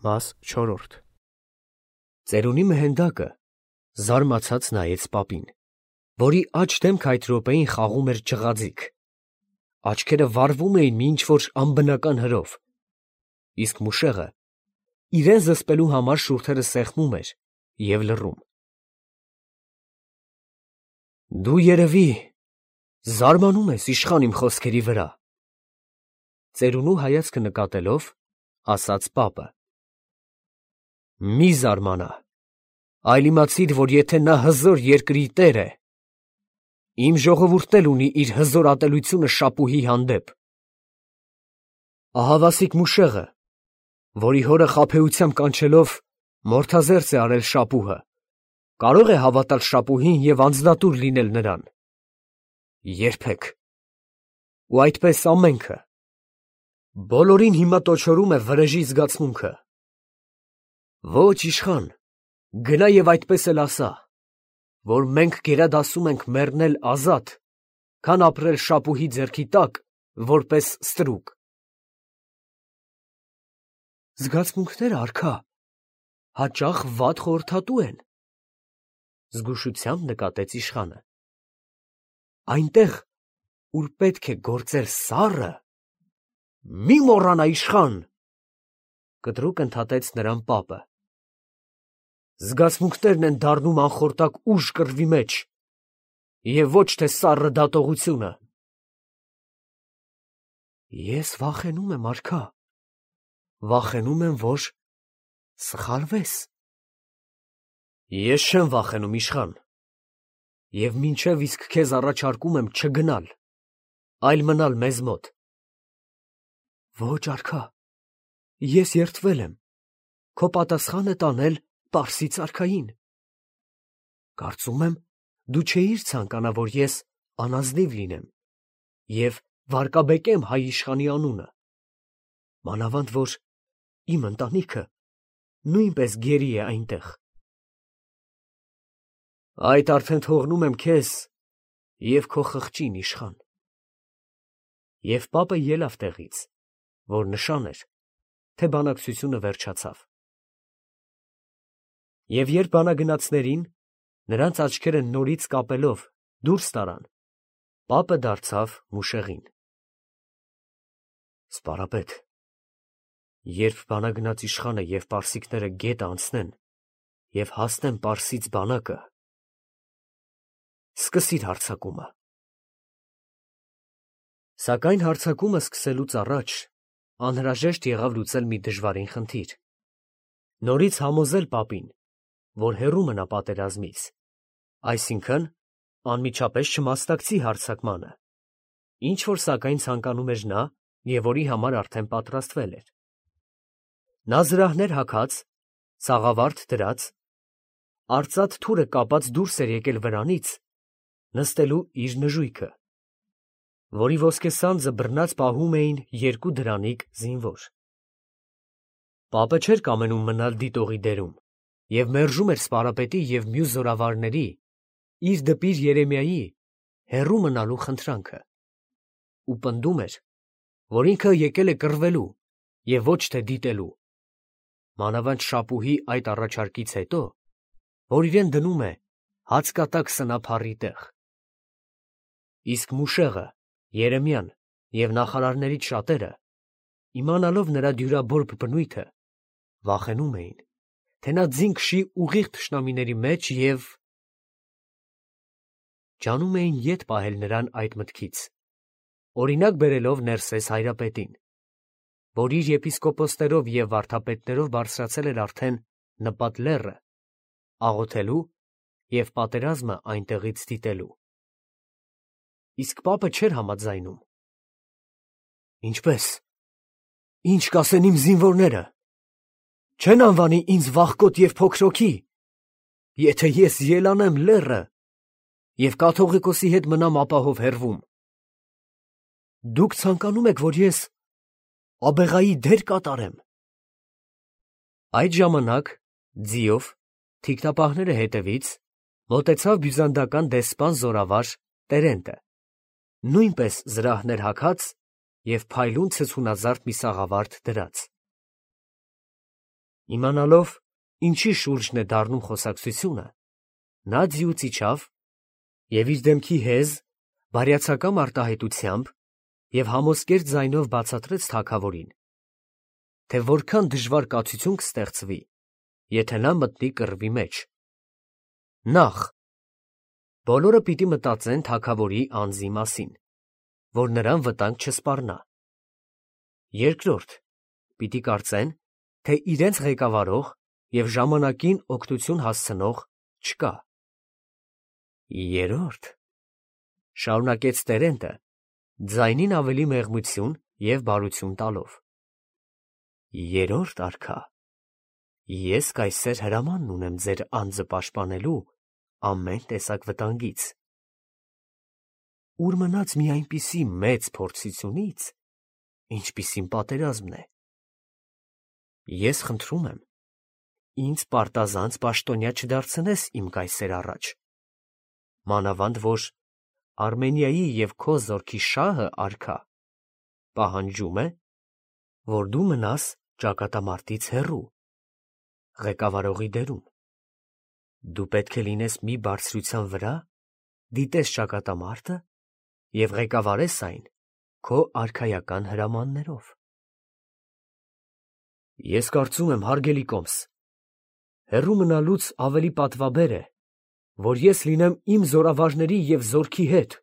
Մաս 4 Ծերունի Մհենդակը զարմացած նայեց պապին, որի աջ դեմքը այդ րոպեին խաղում էր ջղաձիգ. աչքերը վառվում էին մի ինչ-որ անբնական հրով, իսկ մուշեղը իրեն զսպելու համար շուրթերը սեղմում էր և լռում։ Դու երևի զարմանում ես իշխան իմ խոսքերի վրա, ծերունու հայացքը նկատելով, ասաց պապը. Մի զարմանա, այլ իմացիր, որ եթե նա հզոր երկրի տեր է, իմ ժողովուրդն էլ ունի իր հզոր ատելությունը Շապուհի հանդեպ։ Ահավասիկ մուշեղը, որի հորը խաբեությամբ կանչելով մորթազերծ է արել Շապուհը, կարող է հավատալ Շապուհին և անձնատուր լինել նրան։ Երբեք։ Ու այդպես ամենքը։ Բոլորին հիմա տոչորում է վրեժի զգացմունքը։ Ոչ, իշխան, գնա և այդպես էլ ասա, որ մենք գերադասում ենք մեռնել ազատ, քան ապրել Շապուհի ձեռքի տակ, որպես ստրուկ։ Զգացմունքները, արքա, հաճախ վատ խորհրդատու են, զգուշությամբ նկատեց իշխանը։ Այնտեղ, ուր պետք է գործել սառը, մի մոռանա, իշխան, կտրուկ ընդհատեց նրան պապը։ Զգացմունքներն են դառնում անխորտակ ուժ կռվի մեջ, և ոչ թե սառը դատողությունը։ Ես վախենում եմ, արքա, վախենում եմ, որ սխալվես։ Ես չեմ վախենում, իշխան, և մինչև իսկ քեզ առաջարկում եմ չգնալ, այլ մնալ մեզ մոտ։ Ոչ, արքա, ես երդվել եմ, քո պատասխանը տանել Պարսից արքային։ Կարծում եմ, դու չէիր ցանկանա, որ ես անազնիվ լինեմ և վարկաբեկեմ հայ իշխանի անունը, մանավանդ որ իմ ընտանիքը նույնպես գերի է այնտեղ։ Այդ արդեն թողնում եմ քեզ և քո խղճին, իշխան։ Եվ պապը ելավ տեղից, որ նշան էր, թե բանակցությունը վերջացավ։ Եվ երբ բանագնացներին, նրանց աչքերը նորից կապելով, դուրս տարան, պապը դարձավ մուշեղին. Սպարապետ, երբ բանագնաց իշխանը և պարսիկները գետը անցնեն և հասնեն Պարսից բանակը, սկսիր հարձակումը։ Սակայն հարձակումը սկսելուց առաջ անհրաժեշտ եղավ լուծել մի դժվարին խնդիր, նորից համոզել պապին, որ հեռու մնա պատերազմից, այսինքն անմիջապես չմասնակցի հարձակմանը, ինչ որ սակայն ցանկանում էր նա և որի համար արդեն պատրաստվել էր։ Նա զրահներ հագած, սաղավարտ դրած, արծաթ թուրը կապած դուրս էր եկել վրանից, նստելու իր նժույգը, որի ոսկե սանձը բռնած պահում էին երկու դրանիկ զինվոր։ Պապը չէր կամենում մնալ դիտողի դերում և մերժում էր սպարապետի և մյուս զորավարների իր դպիր Երեմիայի հեռու մնալու խնդրանքը ու պնդում էր, որ ինքը եկել է կռվելու և ոչ թե դիտելու, մանավանդ Շապուհի այդ առաջարկից հետո, որ իրեն դնում է հացկատակ սնափառի տեղ։ Իսկ մուշեղը, Երեմիան և նախարարներից շատերը, իմանալով նրա դյուրաբորբ բնույթը, վախենում էին, թե նա ձին քշի ուղիղ թշնամիների մեջ և ջանում էին ետ պահել նրան այդ մտքից, օրինակ բերելով Ներսես Հայրապետին, որ իր եպիսկոպոսներով և վարդապետներով բարձրացել էր արդեն Նպատ լեռը, աղոթելու և պատերազմը այնտեղից դիտելու։ Իսկ պապը չէր համաձայնում։ Ինչպե՞ս, ինչ կասեն իմ զինվորները, չե՞ն անվանի ինձ վախկոտ և փոքրոքի, եթե ես ելանեմ լեռը և կաթողիկոսի հետ մնամ ապահով հեռվում։ Դուք ցանկանում եք, որ ես աբեղայի դեր կատարեմ։ Այդ ժամանակ ձիով, թիկնապահները հետևից, մոտեցավ բյուզանդական դեսպան զորավար Տերենտը, նույնպես զրահներ հագած և փայլուն ցցունազարդ մի սաղավարտ դրած։ Իմանալով, ինչի շուրջն է դառնում խոսակցությունը, նա ձիուց իջավ և իր դեմքի հեզ, բարյացակամ արտահայտությամբ և համոսկեր ձայնով բացատրեց թագավորին, թե որքան դժվար կացություն կստեղծվի, եթե նա մտնի կռվի մեջ. նախ, բոլորը պիտի մտածեն թագավորի անձի մասին, որ նրան վտանգ չսպառնա. երկրորդ, պիտի կարծեն, թե իրենց ղեկավարող և ժամանակին օգնություն հասցնող չկա. երրորդ, շարունակեց տերենտը, ձայնին ավելի մեղմություն և բարություն տալով, երրորդ արքա, ես կայսեր հրամանն ունեմ ձեր անձը պաշտպանելու ամեն տեսակ վտանգից, ուր մնաց մի այնպիսի մեծ փորձությունից, ինչպիսին պատերազմն է. ես խնդրում եմ, ինձ պարտազանց պաշտոնյա չդարձնես իմ կայսեր առաջ, մանավանդ որ Արմենիայի և քո զորքի շահը, արքա, պահանջում է, որ դու մնաս ճակատամարտից հեռու, ղեկավարողի դերում. դու պետք է լինես մի բարձրության վրա, դիտես ճակատամարտը և ղեկավարես այն քո արքայական հրամաններով։ Ես կարծում եմ, հարգելի կոմս, հեռու մնալուց ավելի պատվաբեր է, որ ես լինեմ իմ զորավարների և զորքի հետ։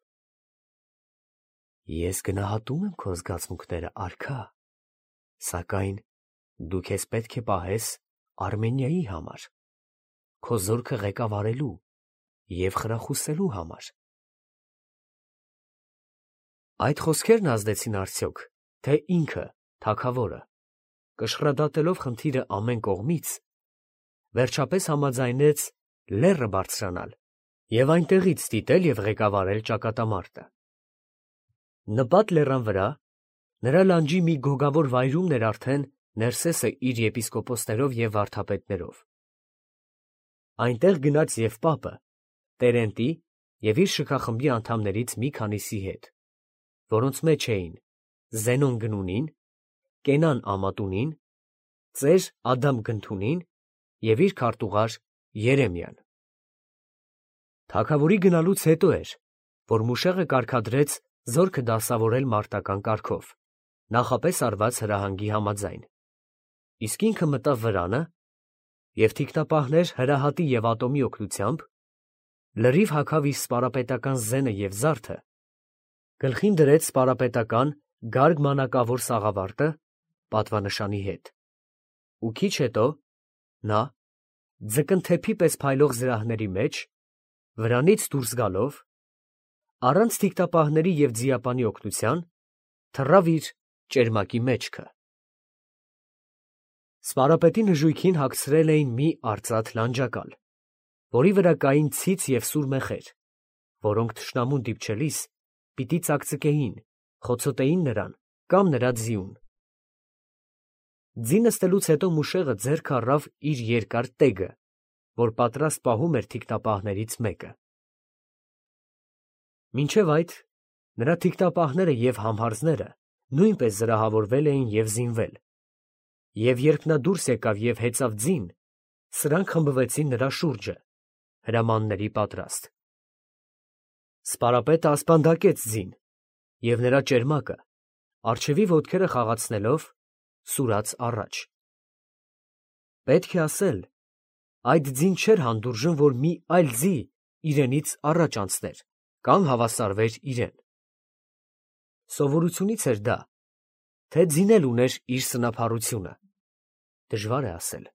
Ես գնահատում եմ քո զգացմունքները, արքա, սակայն դու քեզ պետք է պահես Արմենիայի համար, քո զորքը ղեկավարելու և խրախուսելու համար։ Այդ խոսքերն ազդեցին արդյոք, թե ինքը, թագավորը, կշռադատելով խնդիրը ամեն կողմից, վերջապես համաձայնեց լեռը բարձրանալ և այնտեղից դիտել և ղեկավարել ճակատամարտը։ Նպատ լեռան վրա, նրա լանջի մի գոգավոր վայրումն էր արդեն Ներսեսը իր եպիսկոպոսներով և վարդապետներով։ Այնտեղ գնաց և պապը, Տերենտի և իր շքախմբի անդամներից մի քանիսի հետ, որոնց մեջ էին Զենոն Գնունին, Կենան Ամատունին, ծեր Ադամ Գնթունին և իր քարտուղար Երեմիան։ Թագավորի գնալուց հետո էր, որ Մուշեղը կարգադրեց զորքը դասավորել մարտական կարգով, նախապես արված հրահանգի համաձայն, իսկ ինքը մտավ վրանը և թիկնապահներ Հրահատի և Ատոմի օգնությամբ լրիվ հագավ իր սպարապետական զենը և զարդը, գլխին դրեց սպարապետական գարգ մանակավոր սաղավարտը պատվանշանի հետ, ու քիչ հետո նա, ձկնթեփի պես փայլող զրահների մեջ, վրանից դուրս գալով, առանց թիկնապահների և ձիապանի օգնության, թռավ իր ճերմակի մեջքը։ Սպարապետի նժույգին հագցրել էին մի արծաթ լանջակալ, որի վրա կային ցից և սուր մեխեր, որոնք թշնամուն դիպչելիս պիտի ծակծկեին, խոցոտեին նրան կամ նրա ձիուն։ Ձի նստելուց հետո Մուշեղը ձեռքը առավ իր երկար տեգը, որ պատրաստ պահում էր թիկնապահներից մեկը։ Մինչև այդ նրա թիկնապահները և համհարձները նույնպես զրահավորվել էին և զինվել, և երբ նա դուրս եկավ և հեծավ ձին, սրանք խմբվեցին նրա շուրջը, հրամանների պատրաստ։ Սպարապետը ասպանդակեց ձին, և նրա ճերմակը, առջևի ոտքերը խաղացնելով, սուրաց առաջ։ Պետք է ասել, այդ ձին չէր հանդուրժում, որ մի այլ ձի իրենից առաջ անցներ կամ հավասարվեր իրեն։ Սովորությունից էր դա, թե ձին էլ ուներ իր սնափառությունը, դժվար է ասել,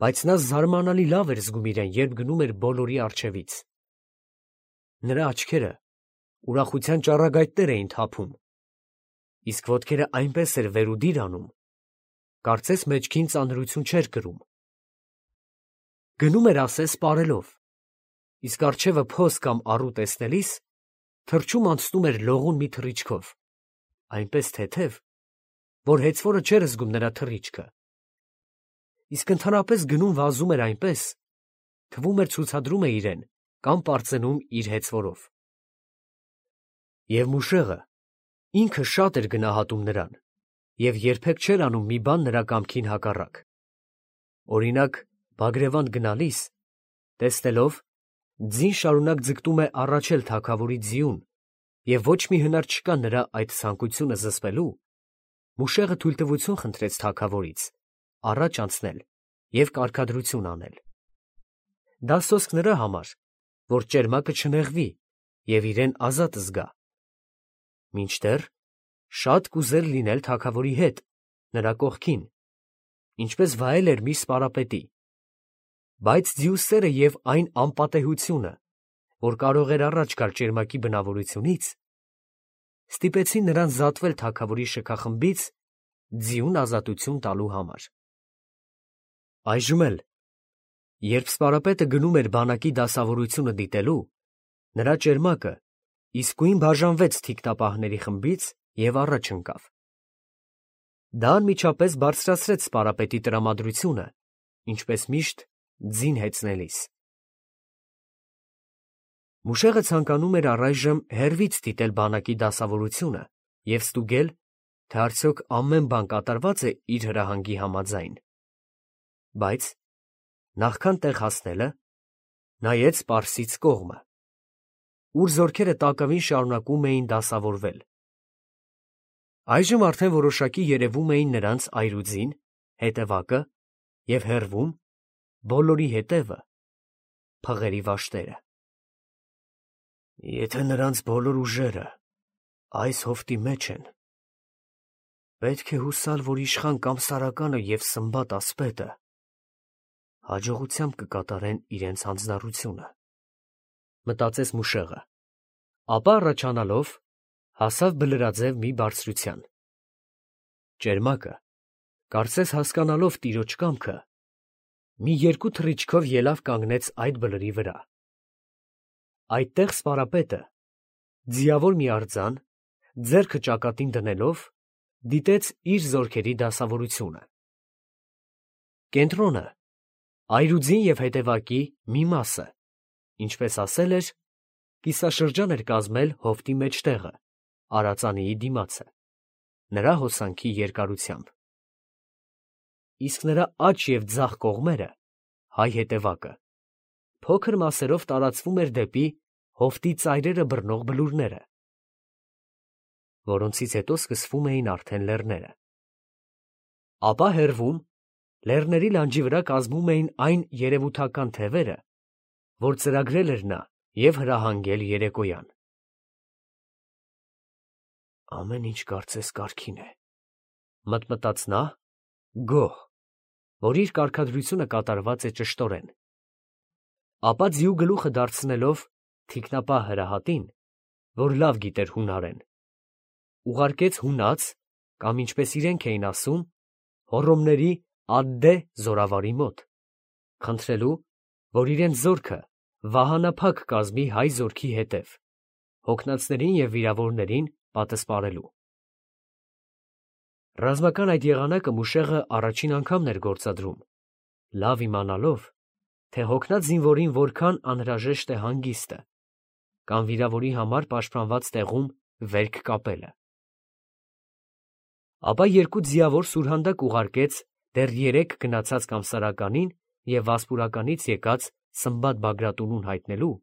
բայց նա զարմանալի լավ էր զգում իրեն, երբ գնում էր բոլորի առջևից։ Նրա աչքերը ուրախության ճառագայթներ էին թափում, իսկ ոտքերը այնպես էր վեր ու դիր անում, կարծես մեջքին ծանրություն չէր կրում։ Գնում էր ասես սպառելով, իսկ առջևը փոս կամ առու տեսնելիս թռչում անցնում էր լողուն մի թռիչքով, այնպես թեթև, որ հեծվորը չէր զգում նրա թռիչքը, իսկ ընդհանրապես գնում վազում էր այնպես, թվում էր ցուցադրում է իրեն կամ պարծենում իր հեծվորով։ Եվ Մուշեղը ինքը շատ էր գնահատում նրան և երբեք չէր անում մի բան նրա կամքին հակառակ։ Օրինակ, Բագրևանդ գնալիս, տեսնելով, ձին շարունակ ձգտում է առաջել թագավորի ձիուն և ոչ մի հնար չկա նրա այդ ցանկությունը զսպելու, Մուշեղը թույլտվություն խնդրեց թագավորից առաջ անցնել և կարգադրություն անել։ Դա սոսկ նրա համար, որ ճերմակը չնեղվի և իրեն ազատ զգա, մինչդեռ շատ կուզեր լինել թագավորի հետ, նրա կողքին, ինչպես վայել էր միշտ սպարապետի, բայց ձիու սերը և այն անպատեհությունը, որ կարող էր առաջ գալ ճերմակի բնավորությունից, ստիպեցին նրան զատվել թագավորի շքախմբից ձիուն ազատություն տալու համար։ Այժմ էլ, երբ սպարապետը գնում էր բանակի դասավորությունը դիտելու, նրա ճերմակը իսկույն բաժանվեց թիկնապահների խմբից և առաջ ընկավ։ Դա անմիջապես բարձրացրեց սպարապետի տրամադրությունը, ինչպես միշտ ձին հեծնելիս։ Մուշեղը ցանկանում էր առայժմ հեռվից դիտել բանակի դասավորությունը և ստուգել, թե արդյոք ամեն բան կատարված է իր հրահանգի համաձայն, բայց նախքան տեղ հասնելը, նայեց պարսից կողմը, ուր զորքերը տակավին շարունակում էին դասավորվել։ Այժմ արդեն որոշակի երևում էին նրանց այրուձին, հետևակը և հեռվում, բոլորի հետևը, փղերի վաշտերը։ Եթե նրանց բոլոր ուժերը այս հովտի մեջ են, պետք է հուսալ, որ իշխան Կամսարականը և Սմբատ ասպետը հաջողությամբ կկատարեն իրենց հանձնառությունը, մտածեց Մուշեղը, ապա առաջանալով հասավ բլրաձև մի բարձրության։ Ճերմակը, կարծես հասկանալով տիրոջ կամքը, մի երկու թռիչքով ելավ կանգնեց այդ բլրի վրա։ Այդտեղ սպարապետը, ձիավոր մի արձան, ձեռքը ճակատին դնելով, դիտեց իր զորքերի դասավորությունը։ Կենտրոնը, այրուձին և հետևակի մի մասը, ինչպես ասել էր, կիսաշրջան էր կազմել հովտի մեջտեղը, արածանիի դիմացը, նրա հոսանքի երկարությամբ։ Իսկ նրա աջ և ձախ կողմերը, հայ հետևակը, փոքր մասերով տարածվում էր դեպի հովտի ծայրերը բռնող բլուրները, որոնցից հետո սկսվում էին արդեն լեռները։ Ապա հեռվում, լեռների լանջի վրա կազմում էին այն երևութական թևերը, որ ծրագրել էր նա և հրահանգել երեկոյան։ Ամեն ինչ կարծես կարգին է, մտմտաց նա, գոհ, որ իր կարգադրությունը կատարված է ճշտորեն։ Ապա ձիու գլուխը դարձնելով թիկնապահ հրահատին, որ լավ գիտեր հունարեն, ուղարկեց հունած, կամ ինչպես իրենք էին ասում, Հոռոմների Ադդե զորավարի մոտ, խնդրելու, որ իրենց զորքը վահանափակ կազմի հայ զորքի հետև, հոգնածներին և վիրավորներին պատսպարելու։ Ռազմական այդ եղանակը Մուշեղը առաջին անգամն էր գործադրում, լավ իմանալով, թե հոգնած զինվորին որքան անհրաժեշտ է հանգիստը, կամ վիրավորի համար պաշտպանված տեղում վերք կապելը։ Ապա երկու ձիավոր սուրհանդակ ուղարկեց դեռ երեկ գնացած Կամսարականին և Վասպուրականից եկած Սմբատ Բագրատունուն հայտնելու,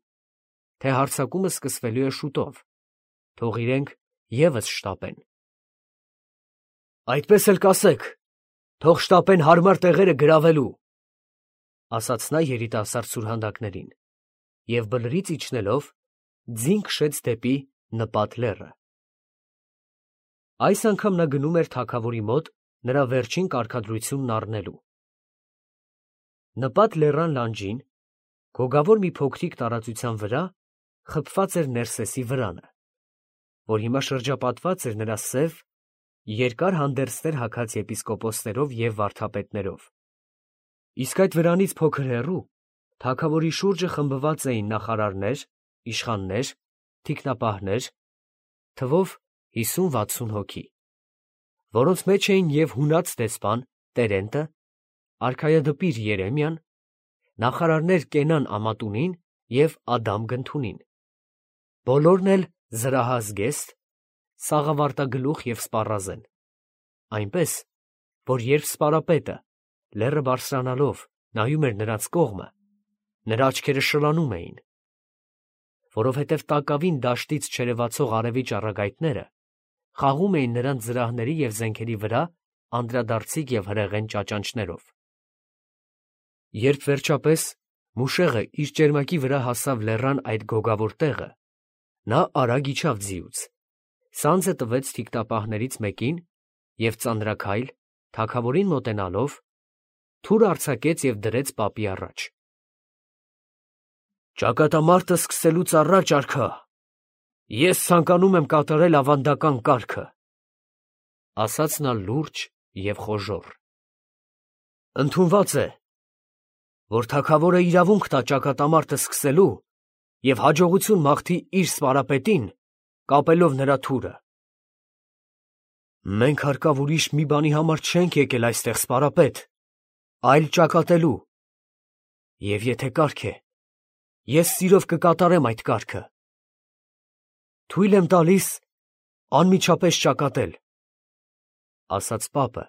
թե հարձակումը սկսվելու է շուտով, թող իրենք ևս շտապեն։ Այդպես էլ կասեք, թող շտապեն հարմար տեղերը գրավելու, ասաց նա երիտասարդ սուրհանդակներին և բլրից իջնելով ձին քշեց դեպի Նպատ լեռը։ Այս անգամ նա գնում էր թագավորի մոտ նրա վերջին կարգադրությունն առնելու։ Նպատ լեռան լանջին, գոգավոր մի փոքրիկ տարածության վրա խփված էր Ներսեսի վրանը, որ հիմա շրջապատված էր նրա սև, երկար հանդերձներ հագած եպիսկոպոսներով և վարդապետներով։ Իսկ այդ վրանից փոքր հեռու թագավորի շուրջը խմբված էին նախարարներ, իշխաններ, թիկնապահներ, թվով 50-60 հոգի, որոնց մեջ էին և հունած դեսպան Տերենտը, արքայադպիր Երեմիան, նախարարներ Կենան Ամատունին և Ադամ Գնթունին, բոլորն էլ զրահազգեստ, սաղավարտագլուխ և սպառազեն, այնպես, որ երբ սպարապետը լեռը բարձրանալով նայում էր նրանց կողմը, նրա աչքերը շլանում էին, որովհետև տակավին դաշտից չերևացող արևի ճառագայթները խաղում էին նրանց զրահների և զենքերի վրա անդրադարձիկ և հրեղեն ճաճանճներով։ Երբ վերջապես Մուշեղը իր ճերմակի վրա հասավ լեռան այդ գոգավոր տեղը, նա արագ իջավ ձիուց, սանձը տվեց թիկտապահներից մեկին և ծանրաքայլ, թագավորին մոտենալով, թուր արձակեց և դրեց պապի առաջ։ «Ճակատամարտը սկսելուց առաջ, արքա, ես ցանկանում եմ կատարել ավանդական կարգը», ֊ ասաց նա լուրջ և խոժոռ։ «Ընդունված է, որ թագավորը իրավունք տա ճակատամարտը սկսելու և հաջողություն մաղթի իր սպարապետին, կապելով նրա թուրը։ Մենք հարկավ ուրիշ մի բանի համար չենք եկել այստեղ, սպարապետ, այլ ճակատելու, և եթե կարգ է, ես սիրով կկատարեմ այդ կարգը։ Թույլ եմ տալիս անմիջապես ճակատել», ֊ ասաց պապը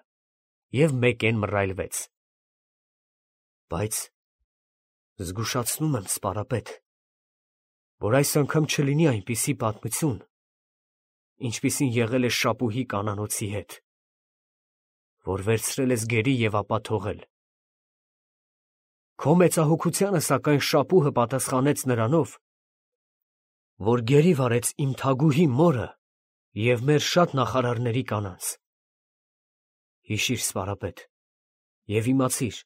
և մեկեն մռայլվեց։ «Բայց զգուշացնում եմ, սպարապետ, որ այս անգամ չլինի այնպիսի պատմություն, ինչպիսին եղել է Շապուհի կանանոցի հետ, որ վերցրել ես գերի և ապա թողել։ Քո մեծահոգությանը, սակայն, Շապուհը պատասխանեց նրանով, որ գերի վարեց իմ թագուհի մորը և մեր շատ նախարարների կանանց։ Հիշի՛ր, սպարապետ, և իմացիր,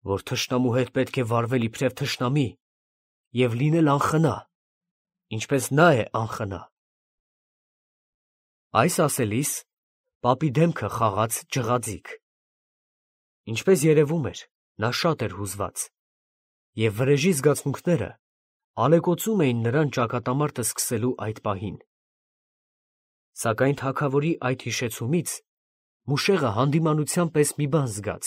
որ թշնամու հետ պետք է վարվել իբրև թշնամի և լինել անխնա, ինչպես նա է անխնա»։ Այս ասելիս պապի դեմքը խաղաց ջղաձիգ։ Ինչպես երևում էր, նա շատ էր հուզված, և վրեժի զգացմունքները ալեկոծում էին նրան ճակատամարտը սկսելու այդ պահին։ Սակայն թագավորի այդ հիշեցումից Մուշեղը հանդիմանության պես մի բան զգաց.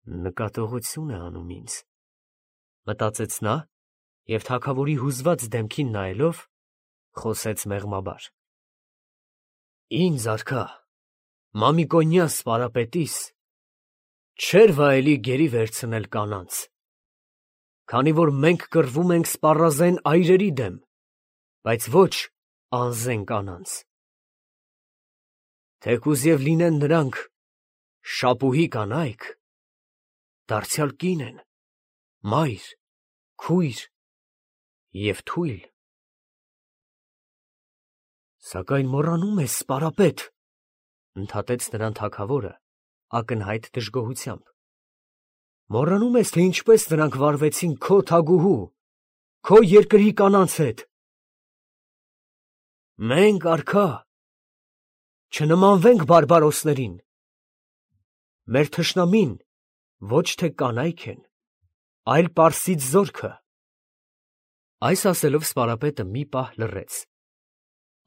«Նկատողություն է անում ինձ», ֊ մտածեց նա և թագավորի հուզված դեմքին նայելով, խոսեց մեղմաբար. «Ինձ, արքա, Մամիկոնյա սպարապետիս, չէր վայելի գերի վերցնել կանանց, քանի որ մենք կռվում ենք սպառազեն այրերի դեմ, բայց ոչ անզեն կանանց։ Թեկուզ և լինեն նրանք Շապուհի կանայք, դարձյալ կին են, մայր, քույր և թույլ»։ «Սակայն մոռանում ես, սպարապետ, ֊ ընդհատեց նրան թագավորը ակնհայտ դժգոհությամբ, ֊ մոռանում ես, թե ինչպես նրանք վարվեցին քո թագուհու, քո երկրի կանանց հետ։ Մենք, արքա, չնմանվենք բարբարոսներին. մեր թշնամին ոչ թե կանայք են, այլ Պարսից զորքը»։ Այս ասելով սպարապետը մի պահ լռեց,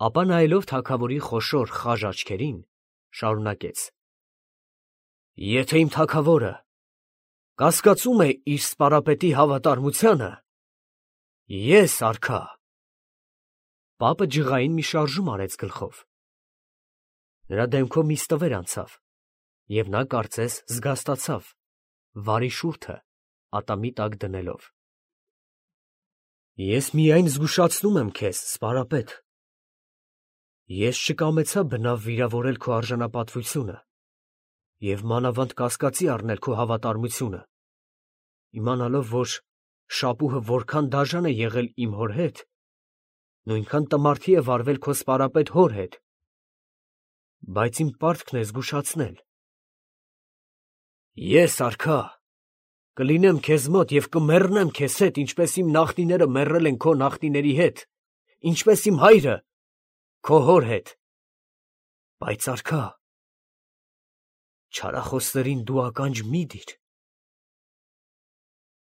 ապա նայելով թագավորի խոշոր խաժ աչքերին, շարունակեց. «Եթե իմ թագավորը կասկածում է իր սպարապետի հավատարմությանը, ես, արքա…» Պապը ջղային մի շարժում արեց գլխով։ Նրա դեմքով մի ստվեր անցավ, և նա կարծես զգաստացավ վարի շուրթը ատամի տակ դնելով։ «Ես միայն զգուշացնում եմ քեզ, սպարապետ. ես չկամեցա բնավ վիրավորել քո արժանապատվությունը և մանավանդ կասկածի առնել քո հավատարմությունը, իմանալով, որ Շապուհը որքան դաժան է եղել իմ հոր հետ, նույնքան տմարդի է վարվել քո սպարապետ հոր հետ, բայց իմ պարտքն է զգուշացնել։ Ես, արքա, կլինեմ քեզ մոտ և կմեռնեմ քեզ հետ, ինչպես իմ նախնիները մեռել են քո նախնիների հետ, ինչպես իմ հայրը քո հոր հետ, բայց, արքա, չարախոսներին դու ականջ մի դիր,